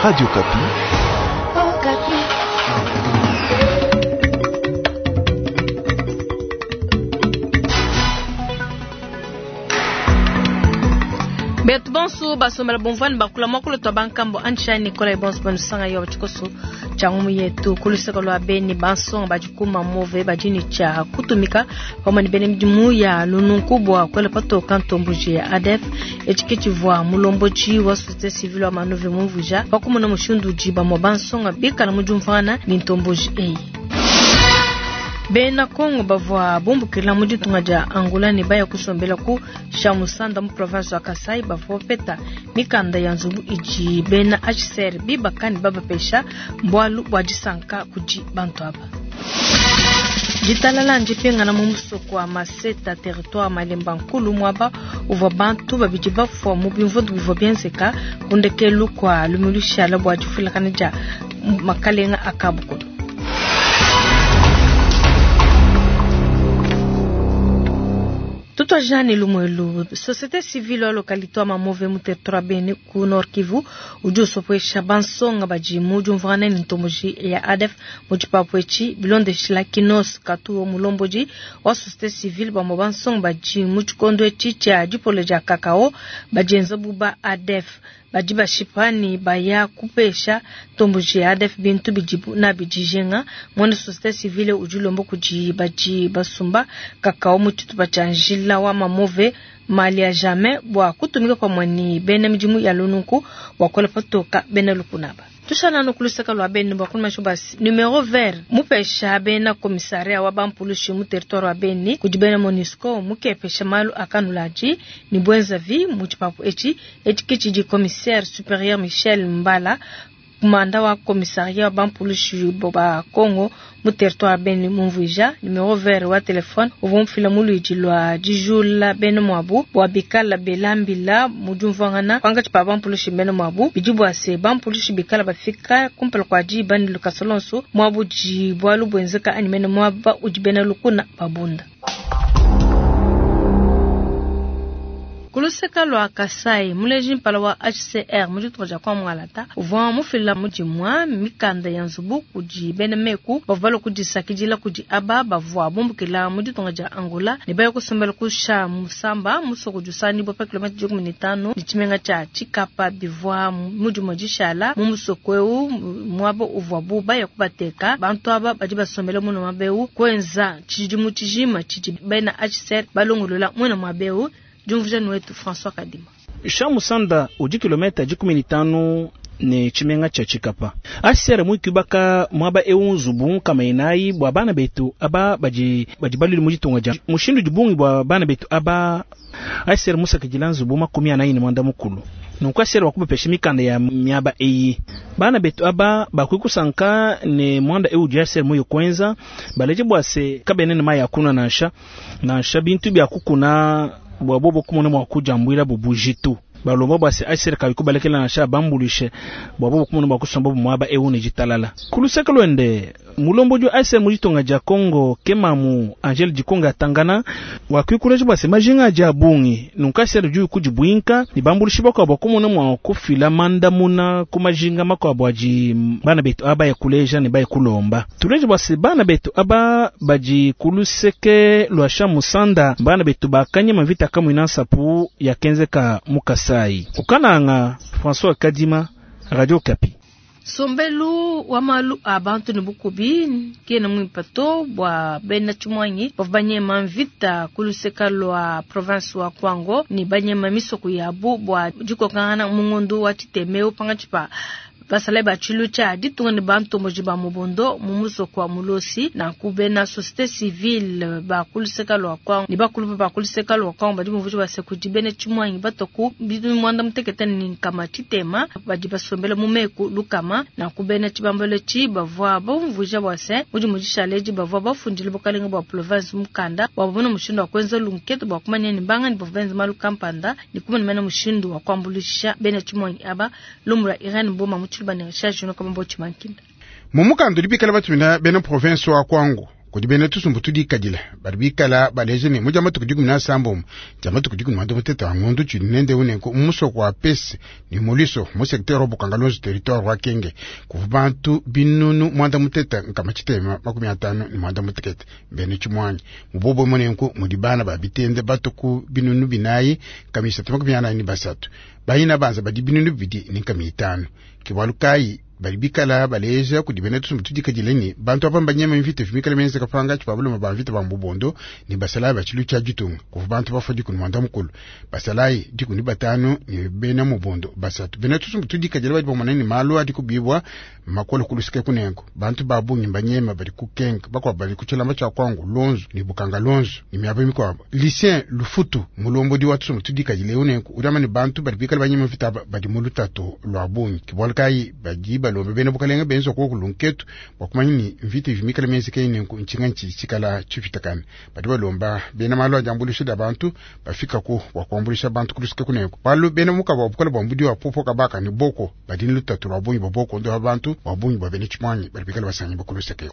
Radio Okapi. Okapi. Betu bonso basombela bomvwani bakula mwakulu twa bankambo antsha Nicolas bonso banusanga yo tshikoso tshia ngumu yetu kuluseka lwa beni bansonga badikuma move badini tshia kutumika pamwe ne bena midimu ya lununku bua kuela patoka ntomboji ya ADF etshi tshivua mulombodi wa société civile wa manove mumvuja pakumona mushindu udi bamue bansonga bikala mu diumvuangana ne ntomboji eyi. Bena Kongo bavua bumbukila mu ditunga dia Angola ne baya kusombela ku Shamusanda mu province wa Kasai bavua bapeta mikanda ya nzubu idi bena HCR bibaka ne babapesha mbualu bua disanka kudi bantu aba. Ditalala ndipingana mu musoko wa Maseta territoire Malemba Nkulu muaba uvua bantu babidi bafua mu bimvundu bivua bienzeka ku ndekelu kua lumingu lushala bua difuilakana dia makalenga a Kabukulu. Tutwajane lumuelu société civile wa localité wa Mamove mu territoire Beni ku Nord Kivu udi usopwesha bansonga badi mu diumvuangana ne ntomboji ya ADF mu tshipapu etshi bilondeshila Kinos Katuo mulombodi wa société civile bamue bansonga badi mu tshikondo etshi tshia dipolo dia kakao badienza bu ba ADF badi bashipa ne baya kupesha ntomboji ya ADF bintu bidibu nabi dijinga. Muena société civile udi ulomba kudi badi basumba kakao mu tshitupa tshia njila wa Mamove mali ya jamais bua kutumika pamue ne bena midimu ya lununku bua kuela patoka bena lukunaba. Tushananu kuluseka lua beni bua kunumasha basi numero vert mupesha bena komisaria wa bampulushi mu territoire wa Beni kudi bena MONUSCO mukepesha malu akanulaji ni bwenzavi mu tshipapu etshi etshi ke tshidi commissaire supérieur Michel Mbala kumanda wa komisaria wa bampulushi ba Congo mu territoire Beni mumvuija numero vert wa telefone uvua mufila mu luidi lua dijula bena muabu bua bikala belambila mu diumvuangana pankatshi pa bampulushi bena muabu bidi bua se bampulushi bikala bafika kumpala kua diba ne lukasa lonso muabu udi bualu buenzeka anyi mene muaba udi bena lukuna babunda. Kuluseka lua Kasai muleji mpala wa HCR mu ditunga dia kwa Mwangalata uvua mufila mu dimua mikanda ya nzubu kudi bena meku bavua balua kudisakidila kudi aba bavua bumbukila mu ditunga dia Angola ne baya kusombela ku Musamba musoko udi usanganyibua pa kilomita 15 ne tshimenga tshia Tshikapa bivua mu dimua dishala mu musoko eu muaba uvuabu baya kubateka bantu aba badi basombela muena muaba eu kuenza tshidimu tshijima tshidi bena HCR balongolola muena muaba eu. Diumvuija wetu François Kadima. Shamusanda udi kilomita 15 ne tshimenga tshia Tshikapa. HCR muikibaka muaba eu nzubu nkama inayi bua bana betu aba badi badi balili mu ditunga dia mushindu dibungi bua bana betu aba HCR musakidila nzubu 45. Nunku HCR wakubapesha mikanda ya miaba eyi bana betu aba bakwikusanka ne mwanda eu udi HCR muyo kwenza baleje bua se kabene ne mayi akuna nansha nansha bintu bya kukuna bua bobo kumona mua kujambuila bubujitu balomba bua se HCR kabikubalekela nansha bambulishe bua bobo kumona bua kusomba muaba eu ne ditalala. Kuluseka lwende mulombodi wa HCR mu ditunga dia Congo kemamu Angel Dikonga atangana wakwikulaje bua se majinga adi a bungi nunku HCR udi kudibuinka ne bambulishi bakuabu bua kumona mua kufila mandamuna ku majinga makuabu adi bana betu aba ya kuleja ne baya kulomba. Tuleje bua se bana betu aba badi kuluseke lua Shamusanda bana betu bakanyema mvita kamwina nsapu ya kenzeka mu Kasai. Ukananga François Kadima, Radio Okapi. Sombelu wa malu a bantu ne bukubi kena muimpe to bua bena tshimuangi bavua banyema mvita ku luseka lua province wa Kwango ne banyema misoko yabu bua dikokangana mu ngondo wa Tshitemeu pankatshi pa basalayi ba tshilu tshia ditunga ne bantomboji ba mubondo mu musoko wa Mulosi. Nanku bena société civile ba kuluseka lua Kwango ne bakulu ba kuluseka lua Kwango badi bumvuija base kudi bena tshimuangi batoku bitu mwanda mutekete ne nkama tshitema badi basombela mu meku lukama. Nanku bena tshibambalo tshi bavua bumvuija bua se mudi mudishaleji bavua bafundile bukalenga bua province mukanda bua babone mushindu wa kuenza lunketu bua kumanya ne bangani bavua benza malu kampanda ne kumanya mena mushindu wa kuambuluisha bena tshimuangi aba. Lumbu lua Irene Mboma mu Tshiluba ne Richard Junior Kamambo Tshimankinda. Mu mukanda udi bikala batumina bena province wa Kwango Kudi bena tusumbu tudikadile badi bikala baleja ne mu dia matuku 17 dia matuku 16 a ngondo tshidi nende unenku mu musoko wa Pese ne Moliso mu secteur wa Bukanga-Lonzo territoire wa Kenge kuvua bantu 3658 bena tshimuangi mu bobo munenku mudi bana ba bitende batuku 4343 bayina banza badi 2500 ke bualu kayi badi bikala baleja kudi bena tusumbu tudikadile ne bantu aba mbanyema mvita mikale menzeka pangatshi pa balume ba mvita ba mbubondo ne basalayi ba tshilu tshia ditunga. Kuvua bantu bafua 15 basalayi 15 ne bena mubondo 3. Bena tusumbu tudikadile badi bamona ne malu adi kubibwa makole kulusike kunengo bantu ba bungi mbanyema badi kukenga bakuabu badi ku tshilamba tshia kwangu lonzo ne bukanga lonzo ne miaba mikuabu. Lucien Lufutu mulombodi wa tusumbu tudikadile unenku udi amba ne bantu badi bikala banyema mvita aba badi mu lutatu lua bungi. Ke bualu kayi badi balombe bena bukalenge benza koku lunketu bua kumanya ni mvita ivi mikale mienzeke nenku ntshinga ntshi tshikala tshipitakane. Badi balomba bena malu a diambuluisha dia bantu bafikaku bua kuambuluisha bantu kulusike kunenku. Bualu bena mukaba wa bukole bua mbudi wa popo kabaka ne boko badi ne lutatu lua bungi bua boko ndo bantu bua bungi bua bena tshimuangi badi bikale basangi bakulusike.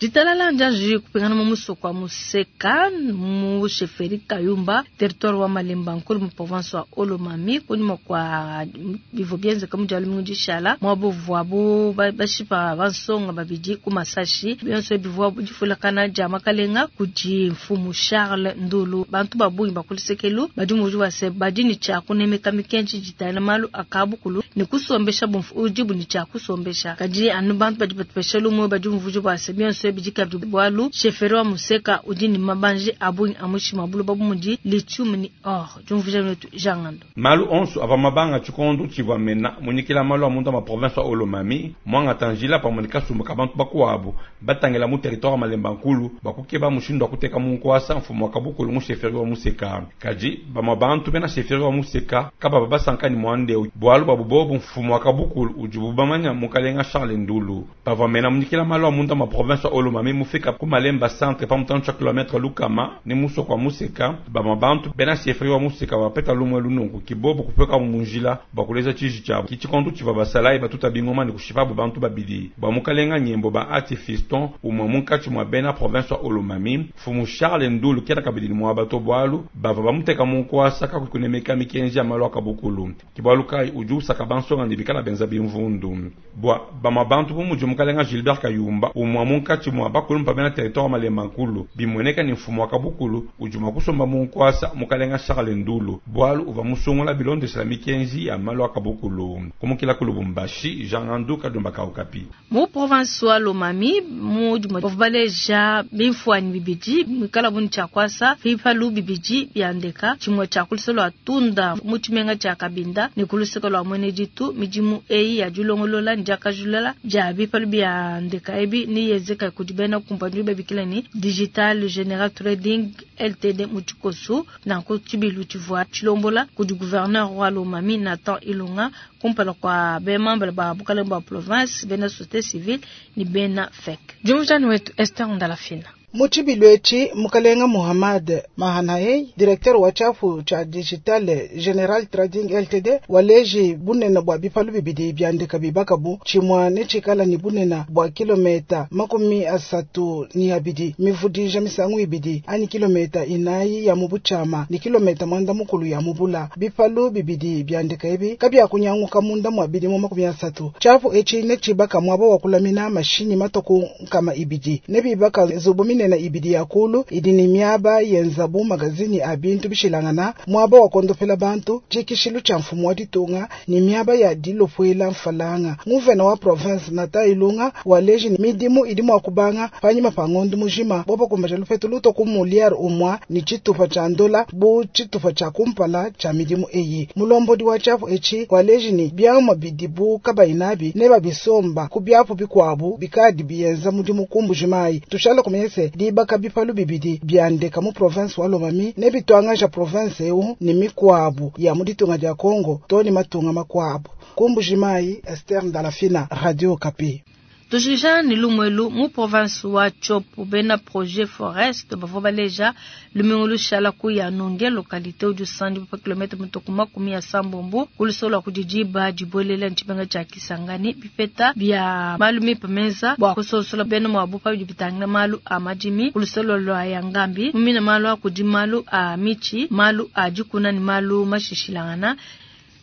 Ditalala njanji kupingana mu musoko wa Museka mu chefferie Kayumba territoire wa Malemba nkulu mu province wa Haut-Lomami kunyima kwa bivua bienzeka mu dia lumingu dishala muabu bashipa bansonga babidi ku masashi bionso bivua difulakana dia makalenga kudi mfumu Charles Ndulu. Bantu ba bungi bakulisekelu badi muju wase badi ni tshia kunemeka mikenji ditayila malu akabukulu ne kusombesha bumfu udibu ni tshia kusombesha kadi anu bantu badi batupesha lumu badi muju wase bionso bidika bwalu chefferie wa Museka udi ni mabanje abungi amushima bulu babu mudi lithium ni or jumvuja netu jangando malu onso ava mabanga tshikondo tshivua mena munyikila malu a munda ma province wa Haut-Lomami mwanga tanjila pamwe ne kasumbu ka bantu bakuabu batangela mu territoire Malemba Nkulu bakukeba mushindu wa kuteka mu nkuasa mfumu wa kabukulu mu chefferie wa Museka kadi bamwa bantu bena chefferie wa Museka kababa basanka ni mwandeu bwalu babu bobu mfumu wa kabukulu udibu bamanya mukalenga Charles Ndulu pavua mena munyikila malu a munda ma province wa Haut-Lomami mufika ku Malemba centre pa mutano tshia kilomètre lukama ne musoko wa Museka bamwa bantu bena chefferie wa Museka bapeta lumwe lununku kibobo kupeka mu munjila bakuleza tshiji tshabo kitshikondo tshivua basalayi batuta bingoma ne kushipabu bantu babidi bwa mukalenga nyembo ba ati fiston umwe munkatshi mwa bena province wa Haut-Lomami mfumu Charles Ndulu kena kabidi ni mwa bato bwalu bava bamuteka mu nkuasa kakukunemeka mikenji ya malu akabukulu kibwalu kai udi usaka bansonga ne bikala benza bimvundu bwa bamwa bantu bu mudi mukalenga Gilbert Kayumba umwe munkatshi mwa bakulumpa bena territoire Malemba Nkulu bimoneka ni mfumu wa kabukulu udi mwa kusomba mu nkuasa mukalenga Charles Ndulu bwalu uva musungula bilondeshela mikenji ya malu akabukulu kumukila ku Lubumbashi Jean Ngandu Kadumba Kaukapi mu province wa Lomami mu baleja bimfuanyi bibidi mikala buni tshia kwasa bipalu bibidi byandeka tshimwe tshia kuluseke lwa tunda mu tshimenga tshia Kabinda ne kuluseke lwa mwene ditu midimu eyi ya dilongolola ne diakajulela dia bipalu byandeka ebi ni yezeka kudi bena kumpanyi babikila ni Digital General Trading LTD mu tshikosu nanku tshibilu tshivua tshilombola kudi gouverneur wa Lomami Nathan Ilunga kumpala kwa bemambala ba bukalenge bwa province bena société civile ni bena FEC. Jumujani wetu Esther Ndalafina. Mutshibilu etshi mukalenga Muhammad Mahanaei directeur wa tshiapu tshia Digital General Trading Ltd waleji bunene bua bipalu bibidi byandika bibakabu tshimua ne tshikala ni bunene bua kilometa 32 mivudija misangu ibidi ani kilometa 4 ya mubuchama ni kilometa 90 ya mubula. Bipalu bibidi byandika ebi kabya kunyanguka munda mwa bidi mu 30 tshiapu etshi ne tshibaka mwaba wa kulamina mashinyi matoku nkama ibidi ne bibaka zubu nena ibidi ya kulu idi ni miaba yenzabu magazini a bintu bishilangana mwaba wa kondopela bantu tshikishilu tsha mfumu wa ditunga ni miaba ya dilopwela mfalanga. Nguvena wa province Nathan Ilunga waleji ni midimu idi mwa kubanga panyima pa ngondo mujima bobo kumbaja lupetu luto ku muliar umwa ni tshitupa tsha ndola bu tshitupa tsha kumpala tsha midimu eyi. Mulombodi wa tshiapu etshi waleji ni biamwa bidibu kabainabi ne babisomba ku biapu bikwabu bikadi biyenza mudimu kumbujimai. Tushala kumese dibaka bipalu bibidi byandeka mu province wa Lomami ne bitwangaja province eu ni mikwabu ya muditunga dia Congo to ni matunga makwabu. Kumbujimai, Esther Ndalafina, Radio Okapi. Tujikija ne lumu elu mu province wa Tshopo, bena projet forest bavua baleja lumingu lushala ku Yanonge localité udi usanganyibua pa kilometre mitue ku 70 ku luseke lua kudi diba dibuelela ne tshimenga tshia Kisangani. Bipeta bia malu mimpe menza bua kusonsola bena muabu pa bidi bitangila malu a madimi ku luseke lua Yangambi mu mine malu a kudi malu a mitshi, malu a dikuna ne malu mashishilangana.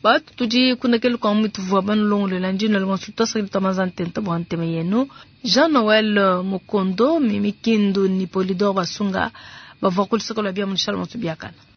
Batu tudi kundekelu kua mutuvua banulongoluela ndi nalonga tuasakidila tua manza ntenta bua ntema yenu. Jean Noel Mukondo, Mimi Kindu ni Polidor Basunga bavua ku luseke lua bia mu Shalom biakana.